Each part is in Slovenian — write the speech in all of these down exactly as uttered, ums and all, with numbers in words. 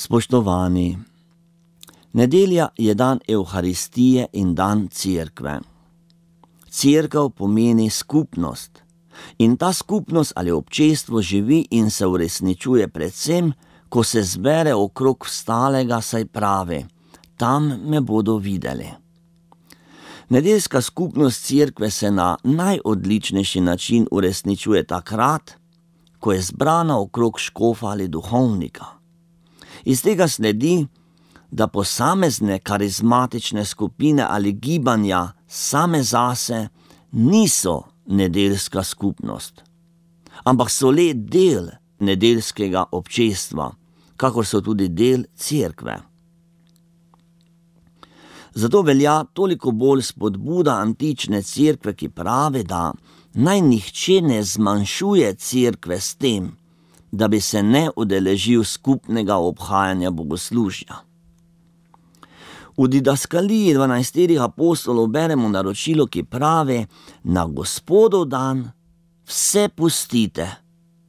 Spoštovani, nedelja je dan Evharistije in dan Cerkve. Cerkev pomeni skupnost in ta skupnost ali občestvo živi in se uresničuje predvsem, ko se zbere okrog vstalega, saj pravi: tam me bodo videli. Nedeljska skupnost Cerkve se na najodličnejši način uresničuje takrat, ko je zbrana okrog škofa ali duhovnika. Iz tega sledi, da posamezne karizmatične skupine ali gibanja same zase niso nedeljska skupnost, ampak so le del nedeljskega občestva, kakor so tudi del Cerkve. Zato velja toliko bolj spodbuda antične Cerkve, ki pravi, da naj nihče ne zmanjšuje Cerkve s tem, da bi se ne udeležil skupnega obhajanja bogoslužja. V didaskaliji dvanajsterih apostolov beremo naročilo, ki pravi: na Gospodov dan vse pustite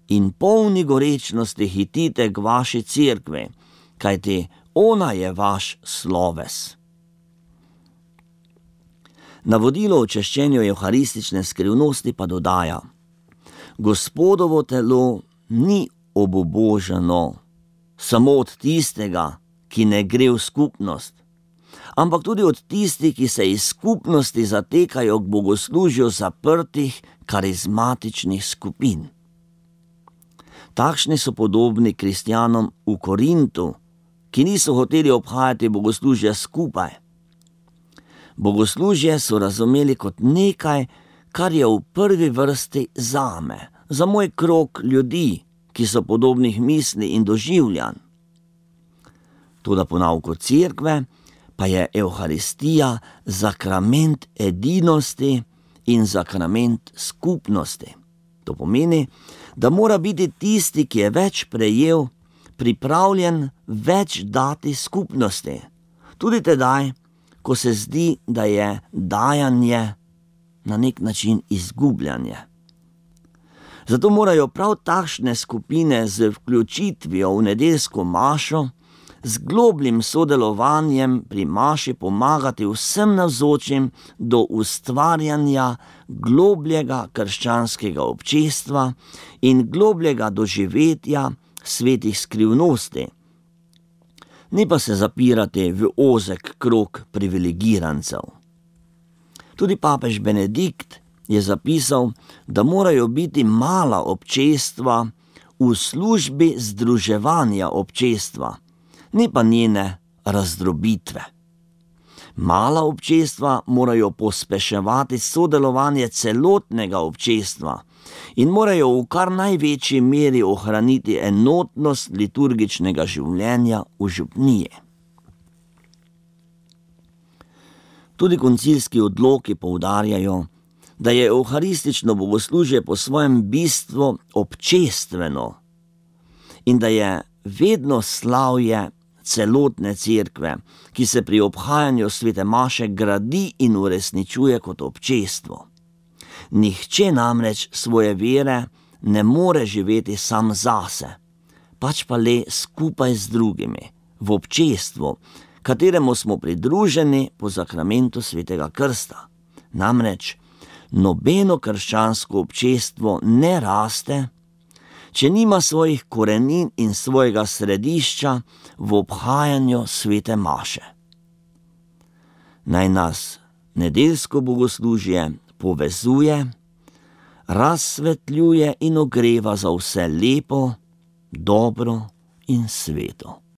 in polni gorečnosti hitite k vaši Cerkvi, kajti ona je vaš sloves. Navodilo o češčenju evharistične skrivnosti pa dodaja: Gospodovo telo ni obubožano samo od tistega, ki ne gre v skupnost, ampak tudi od tistih, ki se iz skupnosti zatekajo k bogoslužju zaprtih karizmatičnih skupin. Takšni so podobni kristjanom v Korintu, ki niso hoteli obhajati bogoslužja skupaj. Bogoslužje so razumeli kot nekaj, kar je v prvi vrsti zame, za moj krog ljudi, ki so podobnih misli in doživljanj. Toda po nauku Cerkve pa je Evharistija sakrament edinosti in sakrament skupnosti. To pomeni, da mora biti tisti, ki je več prejel, pripravljen več dati skupnosti, tudi tedaj, ko se zdi, da je dajanje na nek način izgubljanje. Zato morajo prav takšne skupine z vključitvijo v nedeljsko mašo, z globljim sodelovanjem pri maši pomagati vsem navzočim do ustvarjanja globljega krščanskega občestva in globljega doživetja svetih skrivnosti, ne pa se zapirati v ozek krog privilegirancev. Tudi papež Benedikt je zapisal, da morajo biti mala občestva v službi združevanja občestva, ne pa njene razdrobitve. Mala občestva morajo pospeševati sodelovanje celotnega občestva in morajo v kar največji meri ohraniti enotnost liturgičnega življenja v župniji. Tudi koncilski odloki poudarjajo, da je evharistično bogoslužje po svojem bistvu občestveno in da je vedno slavje celotne Cerkve, ki se pri obhajanju svete maše gradi in uresničuje kot občestvo. Nihče namreč svoje vere ne more živeti sam zase, pač pa le skupaj z drugimi, v občestvu, kateremu smo pridruženi po sakramentu svetega krsta. Namreč nobeno krščansko občestvo ne raste, če nima svojih korenin in svojega središča v obhajanju svete maše. Naj nas nedeljsko bogoslužje povezuje, razsvetljuje in ogreva za vse lepo, dobro in sveto.